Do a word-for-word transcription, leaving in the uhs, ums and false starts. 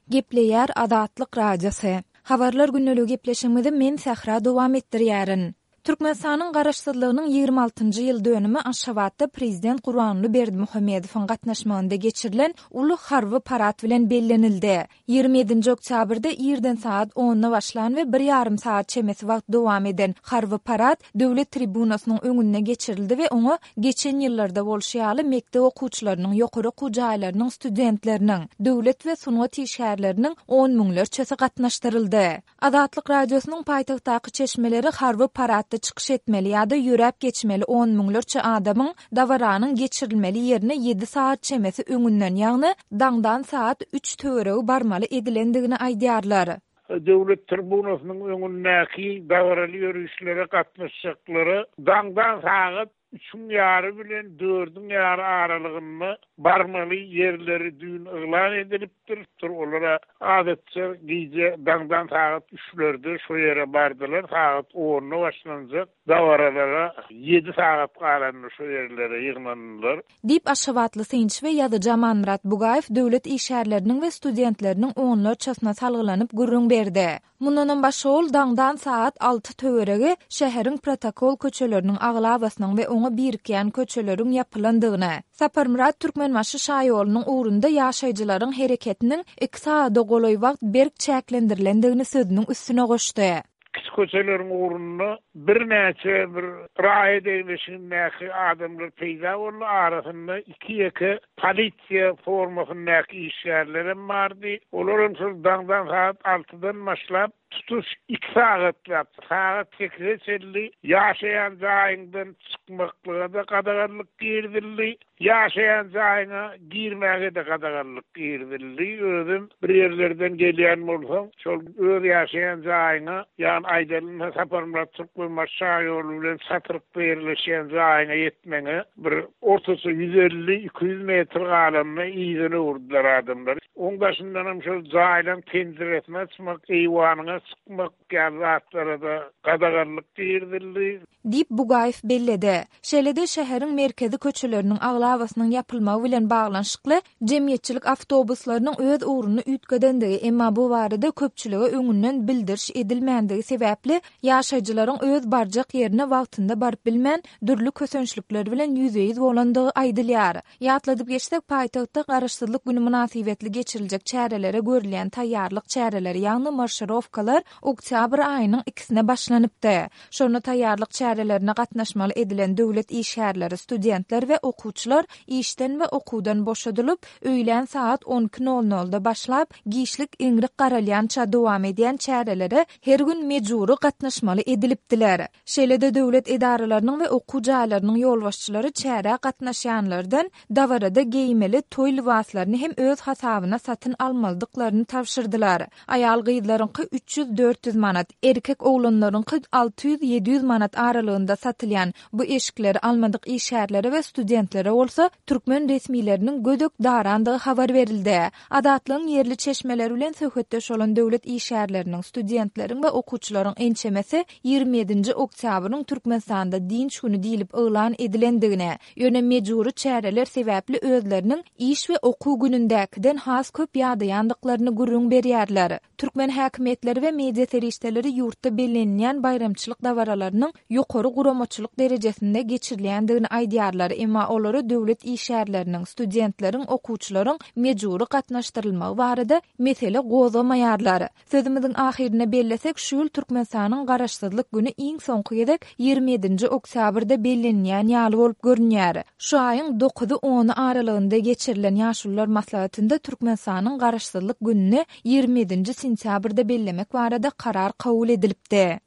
Gepleýär Azatlyk Radiosy. Habarlar gündeligi gepleşigimizi men Sähra dowam etdirýärin. Türkmenistanyň Garaşsyzlygynyň ýigrimi altynjy ýyl dönümi Aşgabatda Prezident Gurbanguly Berdimuhamedowyň gatnaşmagynda geçirilen uly harby parad bilen bellenildi. Ýigrimi ýedinji oktýabrda irden sagat onda başlan we bir ýarym sagat çemesi wagt dowam eden harby parad Döwlet tribunasynyň öňünde geçirildi we oňa geçen ýyllarda bolşy ýaly mekdep okuwçylarynyň, ýokary okuw jaýlarynyň studentleriniň, döwlet we sungat işgärleriniň on müňlerçesi gatnaşdyryldy. Azatlyk Radiosynyň paýtagtdaky çeşmeleri harby paradda çykyş etmeli ýa-da ýöräp geçmeli on müňlerçe adamyň dabaranyň geçirilmeli ýerine ýedi sagat çemesi öňünden, ýagny daňdan sagat üç töweregi barmaly edilendigini aýdýarlar. Döwlet tribunasynyň öňündäki dabaraly ýörişlere gatnaşjaklara daňdan sagat üçüň ýary bilen dördüň ýary aralygynda barmaly ýerleri düýn yglan edilipdir. Olara adatça gije daňdan sagat üçlerde şo ýere bardylar. Sagat onda başlanjak dabaralara ýedi sagat galanda şo ýerlere ýygnandylar. Diýip, aşgabatly synçy we ýazyjy Amanmyrat Bugaýew döwlet işgärleriniň we studentleriniň onlarçasyna salgylanyp gürrüň berdi. Mundanam başga ol daňdan sagat alty töweregi şäheriň protokol köçeleriniň aglabasynyň we oňa birikýän köçeleriň ýapylandygyny, Saparmyrat Türkmenbaşy şaýolunyň ugrunda ýaşaýjylaryň hereketiniň iki sagada golaý wagt berk çäklendirilendigini sözüniň üstüne goşdy. Kiçi köçeleriň ugrunda birnäçe bir raýat egleşigindäki adamlar peýda boldy. Arasynda iki ýeke polisiýa formasyndaky işgärlerem bardy. Olar hem şol daňdan sagat altydan başlap tutuş iki sagatlap, sagat sekize çenli ýaşaýan jaýyňdan çykmaklyga-da gadaganlyk girizildi. Ýaşaýan jaýyňa girmäge-de gadaganlyk girizildi. Özüm bir ýerlerden gelýän bolsaň, şol öz ýaşaýan jaýyňa, ýagny aýdalyň Saparmyrat Türkmenbaşy şaýoly bilen çatrykda ýerleşýän jaýyňa ýetmeňe bir ortaça ýüz elli iki ýüz metr galanda yzyna öwürdüler adamlar. Oň daşyndan hem şol jaýlaryň penjiresini açmak, eýwanyna çykmak ýaly zatlara-da gadaganlyk girizildi. Diýip, Bugaýew belledi. Şeýle-de şäheriň merkezi köçeleriniň aglabasynyň ýapylmagy bilen baglanyşykly jemgyýetçilik awtobuslarynyň öz ugruny üýtgedendigi, emma bu barada köpçülige öňünden bildiriş edilmändigi sebäpli ýaşaýjylaryň öz barjak ýerine wagtynda baryp bilmän, dürli kösençlikler bilen ýüzbe-ýüz bolandygy aýdylýar. Ýatladyp geçsek, paýtagtda Garaşsyzlyk güni mynasybetli geçiriljek çärelere görülýän taýýarlyk çäreleri, ýagny marşirowkalar oktýabr aýynyň ikisine başlanypdy. Şonda taýýarlyk çärelerine gatnaşmaly edilen döwlet işgärleri, studentler we okuwçylar işden we okuwdan boşadylyp, öýlän sagat on iki nol nolda başlap, giçlik iňrik garalýança dowam edýän çärelere her gün mejbury gatnaşmaly edilipdiler. Şeýle-de döwlet edaralarynyň we okuw jaýlarynyň ýolbaşçylary çärä gatnaşýanlardan dabarada geýmeli toý lybaslaryny hem öz hasabyna satyn almalydyklaryny tabşyrdylar. Aýal gyzlaryňky üç ýüz dört ýüz manat, erkek oglanlaryňky alty ýüz ýedi ýüz manat aralygynda satylýan bu eşikleri almadyk işgärlere we studentlere bolsa türkmen resmileriniň gödek darandygy habar berildi. Azatlygyň ýerli çeşmeleri bilen söhbetdeş bolan döwlet işgärleriniň, studentleriň we okuwçylaryň ençemesi ýigrimi ýedinji oktýabryň Türkmenistanda dynç güni diýlip yglan edilendigine, ýöne mejbury çäreler sebäpli özleriniň iş we okuw günündäkiden has köp ýadaýandyklaryny gürrüň berýärler. Türkmen häkimiýetleri we media serişdeleri ýurtda bellenilýän baýramçylyk dabaralarynyň ýokary guramaçylyk derejesinde geçirilýändigini aýdýarlar, emma olara döwlet işgärleriniň, studentleriň, okuwçylaryň mejbury gatnaşdyrylmagy barada mesele gozgamaýarlar. Sözümiziň ahyrynda bellesek, şu ýyl Türkmenistanyň Garaşsyzlyk güni iň soňky gezek ýigrimi ýedinji oktýabrda bellenilýän ýaly bolup görünýär. Şu aýyň dokuzy ony aralygynda geçirilen Ýaşulular maslahatynda Türkmenistanyň Garaşsyzlyk gününi ýigrimi ýedinji sentýabrda bellemek barada karar kabul edilipdi.